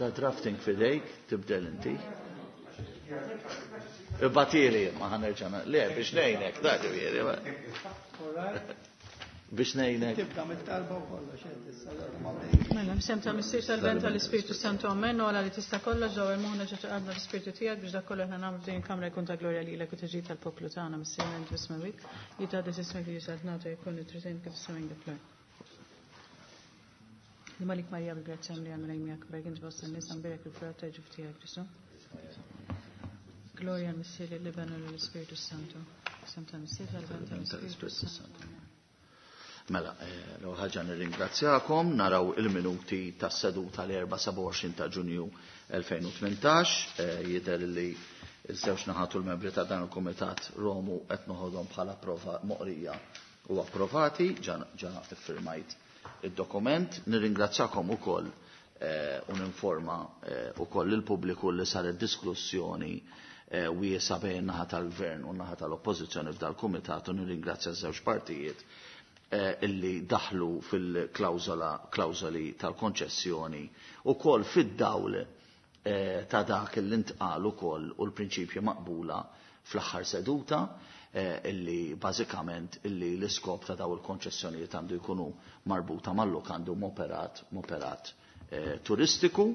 Da drafting fidejk, tibdel inti. Ibgħathieli ma ħa nerġa' Le, biex ngħinek, da ġifieri. Biex ngħinek. Tibda mit-talba u kollox, Mela, f'isem tal-Missier tal-Iben tal-Ispirtu Santu Amen, u Alla li tista' kollox dawwar moħħna ġo qalbna l-Ispirtu tiegħek biex dak kollu aħna nagħmlu f'din il-kamra jkun ta' glorja lilek u tiġi tal-poplu tagħna Missierna int fis-smewwiet, jitqaddes ismek jiġi saltnatek jkun li trid int kif fis-sema kif fl-art. Malik Marija bil-grazzja li għamil miegħek berk int fost in-nisa mbierek il-frott ta' ġuf tiegħek Ġesù. Glorja l-Missier l-Iben u l-Ispirtu Santu. F'isem tal-Missier tal-Iben tal-Ispirtu Santu. Mela, l-ewwel ħaġa nirringrazzjakom, naraw il-minuti tas-seduta l-4 27 ta' Ġunju 2018, jidher li ż-żewġ naħat u l-membri ta' dan il-Kumitat Romu qed noħodhom bħala prova moqrija u approvati, ġa ġa iffirmajt id-dokument. Nirringrazzjakom ukoll u ninforma ukoll lill-pubbliku li saret diskussjoni wiesgħa bejn in-naħa tal-Gvern u n-naħa tal-Oppożizzjoni f'dal-Kumitat u nirringrazzja ż-żewġ partijiet illi daħlu fil-klawżola klawżoli tal-konċessjoni ukoll fid-dawl ta' dak li ntqal ukoll u l-prinċipji maqbula fl-aħħar seduta illi bażikament illi l-iskop ta' daw il-konċessjonijiet għandu jkunu marbuta mal-lukandi u m'operat m'operat turistiku.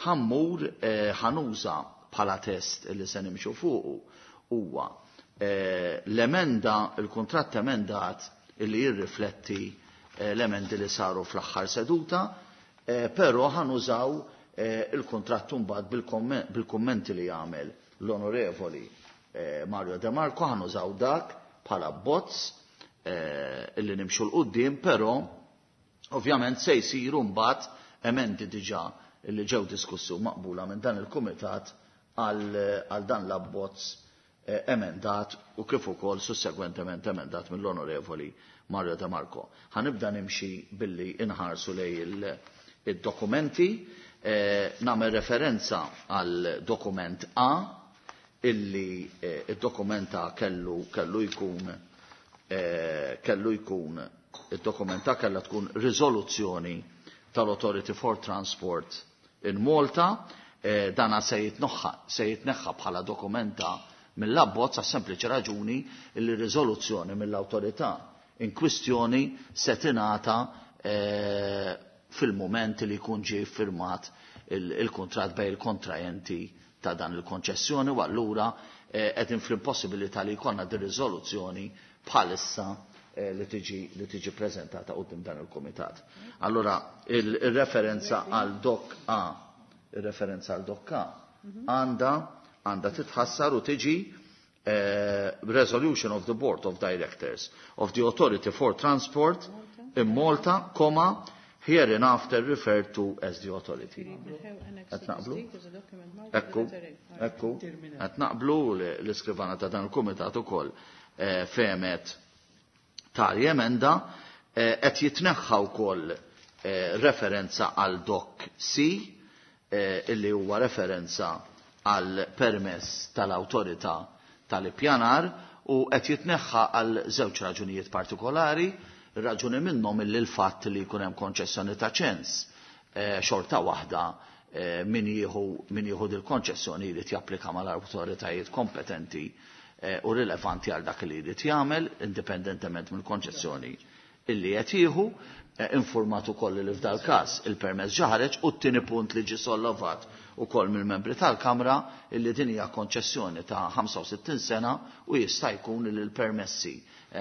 Ħa mmur ħa nuża bħala test illi se nimxu fuqu huwa l-emenda il-kuntratt emendat illi jirrifletti l-emendi li saru fl-aħħar seduta, però ħa nużaw il-kuntratt imbagħad bil-kummenti li għamel l-Onorevoli Mario De Marco, ħa nużaw dak bħala abbozz illi nimxu 'l quddiem, però ovvjament se jsiru mbagħad emendi diġà li ġew diskussi u maqbula minn dan il-kumitat għal dan l-abbozz emendat u kif ukoll sussegwentement emendat mill-Onorevoli Mario De Marco. Ħa nibda nimxi billi inħarsu lejn id-dokumenti, nagħmel referenza għal dokument A illi id-dokument A kellu kellu jkun kellu jkun id-dokument A kellha tkun riżoluzzjoni tal-Authority for Transport in Malta, dana se jitnoħħa se jitneħħa bħala dokument A mill-abbozz għas sempliċi raġuni li riżoluzzjoni mill-awtorità in kwistjoni se tingħata fil-mument li jkun ġie ffirmat il-kuntratt bejn il-kontrajenti ta' dan il-konċessjoni u allura qegħdin fl-impossibilità li jkollna din riżoluzzjoni bħalissa li tiġi li tiġi preżentata quddiem dan il-kumitat. Allura il-referenza għal dok A, il-referenza għal dok A għandha għandha titħassar u tiġi Resolution of the Board of Directors of the Authority for Transport in Malta, comma, hereinafter referred to as the authority. Qed naqblu? Ekku, ekku, qed naqblu l-iskrivana ta' dan il-kumitat ukoll fehmet tali emenda qed jitneħħa wkoll referenza għal dok C illi huwa referenza għal permess tal-awtorità tal-ippjanar u qed jitneħħa għal żewġ raġunijiet partikolari. Raġuni minnhom illi l-fatt li jkun hemm konċessjoni ta' ċens xorta waħda min jieħu min jieħu dil-konċessjoni jrid japplika mal-awtoritajiet kompetenti u rilevanti għal dak li jrid jagħmel indipendentement mill-konċessjoni illi qed jieħu, informat ukoll li f'dal każ il-permess ġa ħareġ u t-tieni punt li ġie sollovat ukoll mill-membri tal-Kamra illi din hija konċessjoni ta' 65 sena u jista' jkun li l-permessi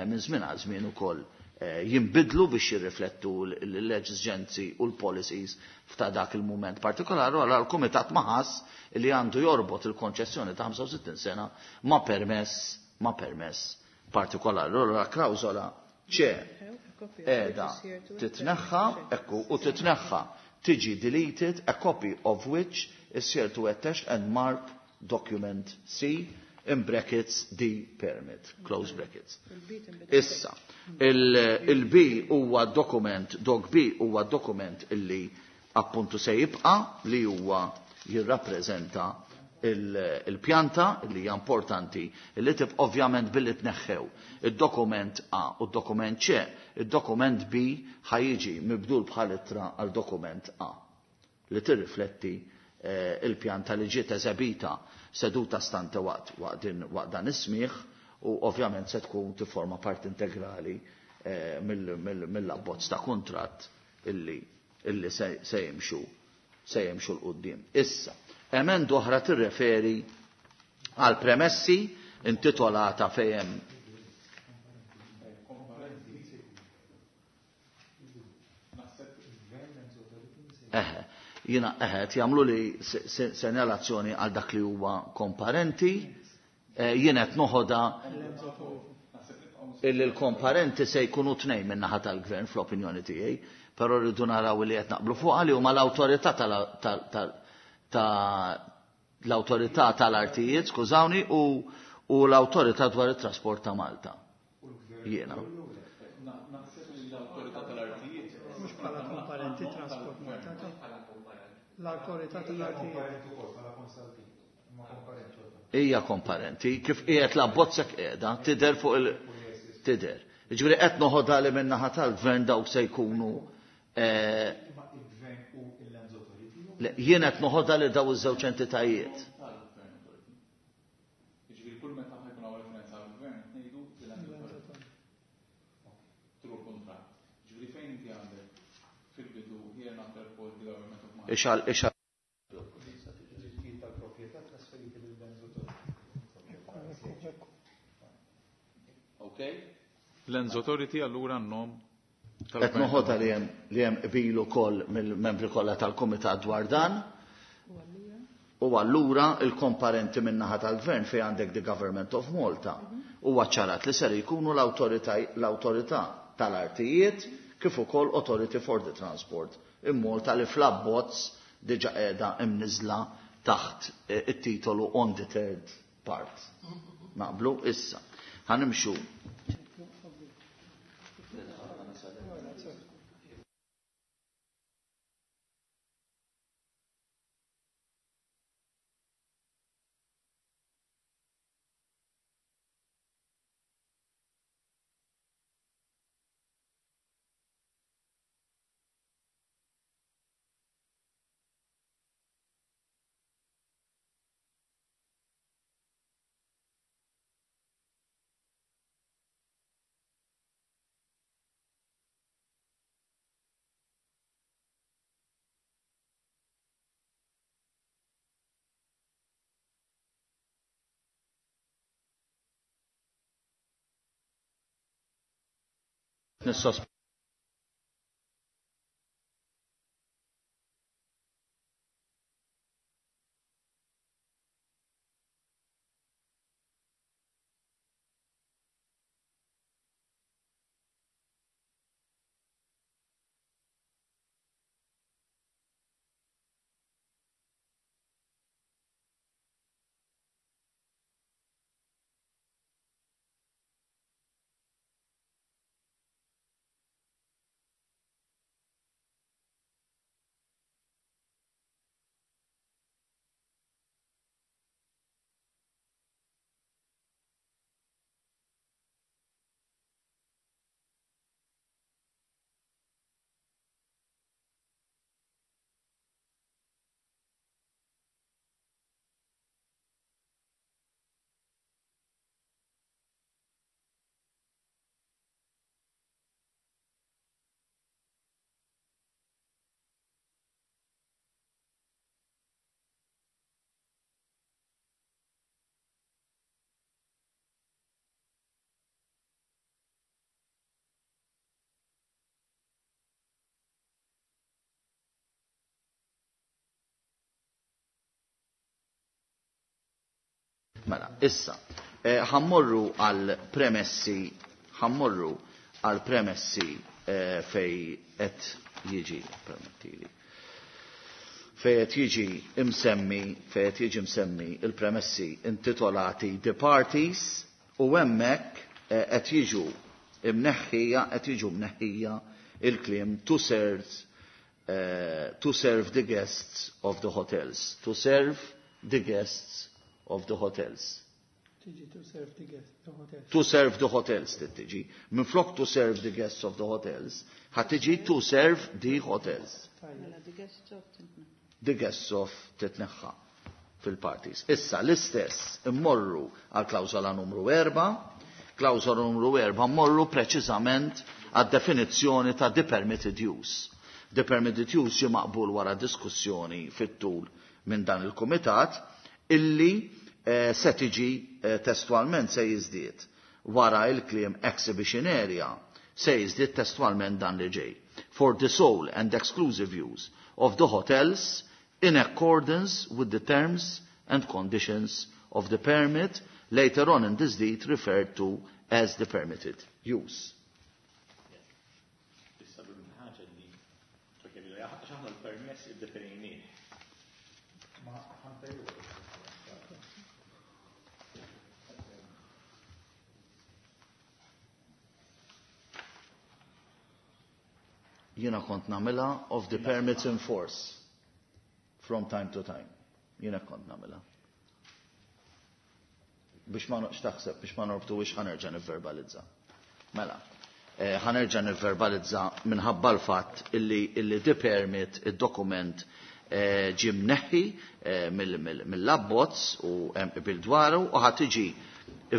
minn żmien għal żmien ukoll jinbidlu biex jirriflettu l-eġiġenzi u l-policies f'ta' dak il-mument partikolari u allura l-Kumitat ma ħass li għandu jorbot il-konċessjoni ta' 65 sena ma' permess ma' permess partikolari. Allura klawżola C qiegħda titneħħa, ekku, u titneħħa tiġi deleted, a copy of which is here to attach and mark document C in brackets D permit, close brackets. Issa, il-B huwa dokument, dok B huwa dokument illi appuntu se jibqa' li huwa jirrappreżenta il-pjanta li hija importanti li tib ovvjament billi tneħħew id-dokument A u d-dokument C, id-dokument B ħa jiġi mibdul bħal ittra għal dokument A li tirrifletti il-pjanta li ġiet eżebita seduta stante waqt waqt dan is-smigħ u ovvjament se tkun tifforma parti integrali mill-abbozz ta' kuntratt illi se jimxu se jimxu 'l quddiem. Issa, emenda oħra tirreferi għal premessi intitolata fejn Eħe, jiena eħe, jagħmlu li senjalazzjoni għal dak li huwa komparenti, jien qed noħodha illi l-komparenti se jkunu tnejn min-naħa tal-gvern fl-opinjoni tiegħi, però rridu naraw li qed naqblu fuqha li huma l-awtorità l-awtorità tal-artijiet, skużawni, u l-awtorità dwar it-trasport ta' Malta. Jiena. L-awtorità tal-artijiet. Mhux bħala komparenti trasport Malta. L-awtorità tal-artijiet. Hija komparenti, kif qiegħed l-abbozzek qiegħda, tidher fuq il- tidher. Jiġifieri qed noħodha li min-naħa tal-gvern dawk se jkunu jien qed noħodha li daw iż-żewġ entitajiet. Jiġifieri kull meta ħa jkun hawn referenza għall-gvern ngħidu l-Lands Authority. Through contract. Jiġifieri fejn inti għandek fil-bidu hereinafter called the government of Malta. Ixal, ixal. Drittijiet tal-proprjetà trasferiti lill-Lands Authority. Okay? Lands Authority allura n-nom Qed noħodha li hemm qbil ukoll mill-membri kollha tal-kumitat dwar dan. U allura il-komparenti min-naħa tal-gvern fejn għandek the Government of Malta huwa ċarat li ser jkunu l-awtorità tal-artijiet kif ukoll Authority for the Transport in Malta li fl-abbozz diġa qiegħda imniżla taħt it-titolu on the third part. Naqblu issa. Ħa nimxu. Nissos Mela, issa, ħa mmorru għal premessi, ħa mmorru għal premessi fejn qed jiġi, permettili, fejn qed jiġi imsemmi, fejn qed jiġi msemmi il-premessi intitolati The Parties u hemmhekk qed jiġu imneħħija, qed jiġu mneħħija il-kliem to serve the guests of the hotels, to serve the guests of the hotels. Tiġi to serve the guests, the hotels. To serve the hotels tiġi. Minflok to serve the guests of the hotels, ħa tiġi to serve the hotels. Mela, the guests of The guests of titneħħa fil-parties. Issa l-istess immorru għal klawżola numru 4, klawżola numru 4 mmorru preċiżament għad definizzjoni ta' the permitted use. The permitted use ġie maqbul wara diskussjoni fit-tul minn dan il-kumitat illi se tiġi testualment se jiżdied wara il-kliem exhibition area se jiżdied testualment dan li ġej. For the sole and exclusive use of the hotels in accordance with the terms and conditions of the permit, later on in this deed referred to as the permitted use. Issa ħaġa li għax aħna l-permess iddefinejnieh. Ma ħantejlu. Jiena kont nagħmilha of the permits in force from time to time. Jiena kont nagħmilha. Biex ma noqx taħseb, biex ma norbtu biex ħa nerġa' nivverbalizza. Mela, ħa nerġa' nivverbalizza minħabba l-fatt illi the permit, id-dokument ġie mneħħi mill-abbozz u hemm qbil dwaru u ħa tiġi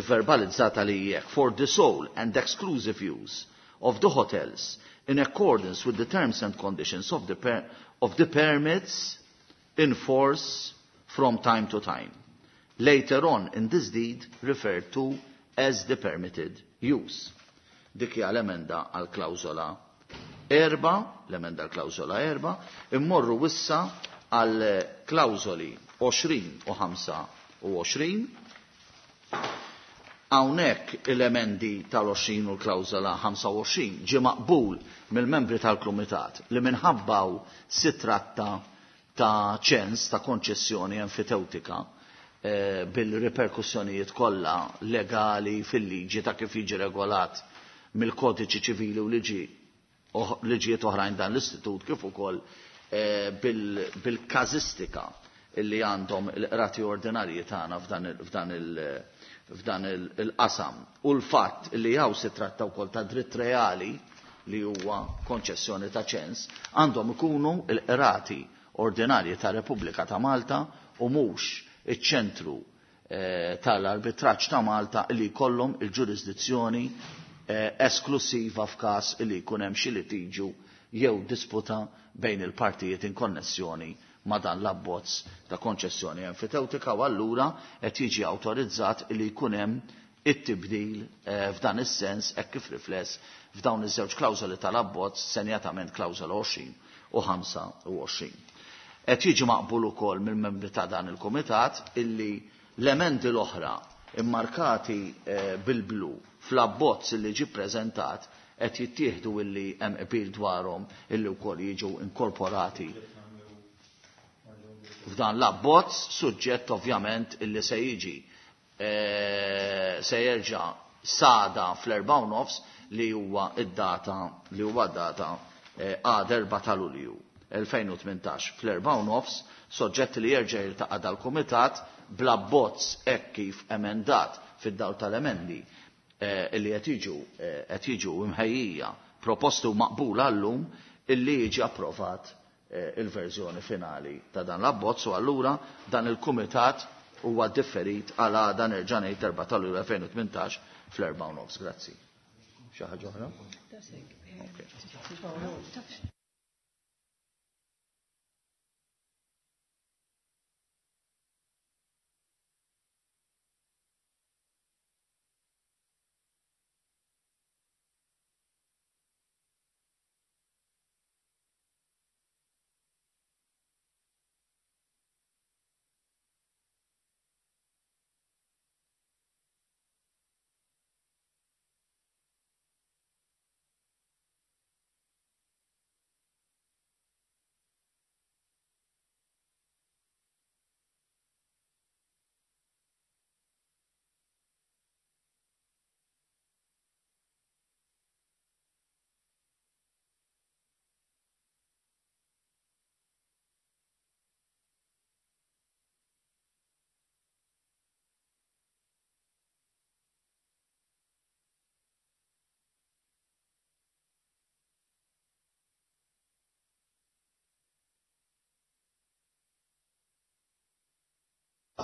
verbalizzata li jekk for the sole and exclusive use of the hotels in accordance with the terms and conditions of the permits in force from time to time. Later on in this deed referred to as the permitted use. Dik hija l-emenda għal klawżola 4, l-emenda għal klawżola 4, immorru wissa għal klawżoli 20 u 25. Hawnhekk il-emendi tal-20 u l-klawżola 25 ġie maqbul mill-membri tal-Kumitat li minħabbaw si tratta ta' ċens ta' konċessjoni enfitewtika bil-riperkussjonijiet kollha legali fil-liġi ta' kif jiġi regolat mill-kodiċi ċivili u liġijiet oħrajn dan l-istitut kif ukoll bil-każistika illi għandhom il-qrati ordinarji tagħna f'dan il-qasam. U l-fatt li hawn si tratta wkoll ta' dritt reali li huwa konċessjoni ta' ċens, għandhom ikunu l-qrati ordinarji ta' Repubblika ta' Malta u mhux iċ-ċentru tal-arbitraġġ ta' Malta li jkollhom il-ġurisdizzjoni esklusiva f'każ li jkun hemm xi litiġu jew disputa bejn il-partijiet in konnessjoni ma' dan l-abbozz ta' konċessjoni enfitewtika u allura qed jiġi awtorizzat li jkun hemm it-tibdil f'dan is-sens hekk kif rifless f'dawn iż-żewġ klawżoli tal-abbozz, senjatament klawżola 20 u 25. Qed jiġi maqbul ukoll mill-membri ta' dan il-kumitat illi l-emendi l-oħra immarkati bil-blu fl-abbozz illi ġie ppreżentat qed jittieħdu illi hemm qbil dwarhom illi wkoll jiġu inkorporati f'dan l-abbozz, suġġett ovvjament illi se jiġi se jerġa' sada fl-4:30 li huwa id-data li huwa data għad 4 ta' Lulju 2018 fl-4:30, soġġett li jerġa' jiltaqa' dal-kumitat bl-abbozz hekk kif emendat fid-dawl tal-emendi illi qed jiġu imħejjija proposti u maqbula llum illi jiġi approvat il-verżjoni finali ta' dan l-abbozz u allura dan il-kumitat huwa differit għal għada nerġa' ngħid 4 ta' Lulju 2018 fl-4:30. Grazzi. Xi ħaġa oħra?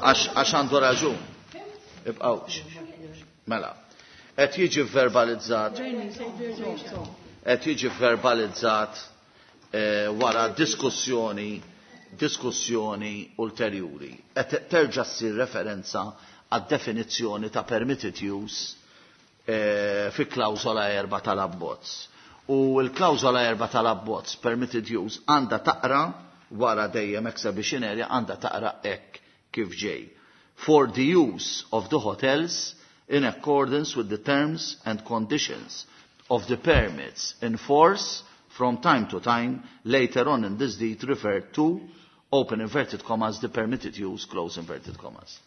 Għax għandu raġun. Ibqgħu. Mela. Qed jiġi verbalizzat. Qed jiġi verbalizzat eh, wara diskussjoni diskussjoni ulterjuri. Qed terġa' ssir referenza għad-definizzjoni ta' permitted use eh, fi klawżola erba' tal-abbozz. U l-klawżola erba' tal-abbozz permitted use għandha taqra wara dejjem exhibition area għandha taqra hekk kif ġej. For the use of the hotels in accordance with the terms and conditions of the permits in force from time to time later on in this deed referred to open inverted commas the permitted use close inverted commas.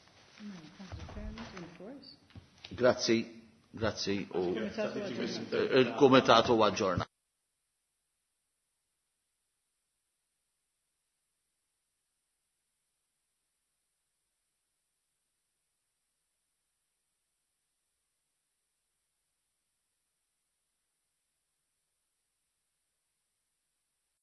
Grazzi, grazzi u il-Kumitat huwa aġġornat.